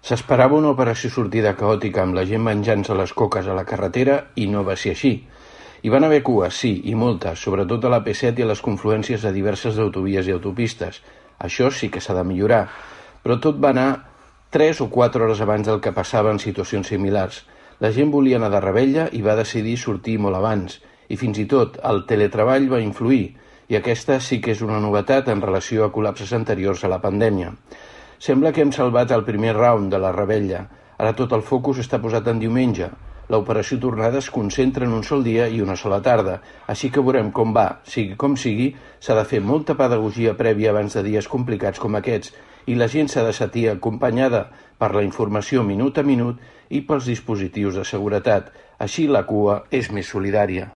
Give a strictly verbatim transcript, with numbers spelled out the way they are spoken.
S'esperava una operació sortida caòtica amb la gent menjant-se les coques a la carretera i no va ser així. Hi van haver cues, sí, i moltes, sobretot a la P set i a les confluències de diverses autovies i autopistes. Això sí que s'ha de millorar, però tot va anar tres o quatre hores abans del que passava en situacions similars. La gent volia anar de revetlla i va decidir sortir molt abans, i fins i tot el teletreball va influir, i aquesta sí que és una novetat en relació a col·lapses anteriors a la pandèmia. Sembla que hem salvat el primer round de la revetlla. Ara tot el focus està posat en diumenge. L'operació tornada es concentra en un sol dia i una sola tarda, així que veurem com va. Sigui com sigui, s'ha de fer molta pedagogia prèvia abans de dies complicats com aquests, i la gent s'ha de sentir acompanyada per la informació minut a minut i pels dispositius de seguretat. Així la cua és més solidària.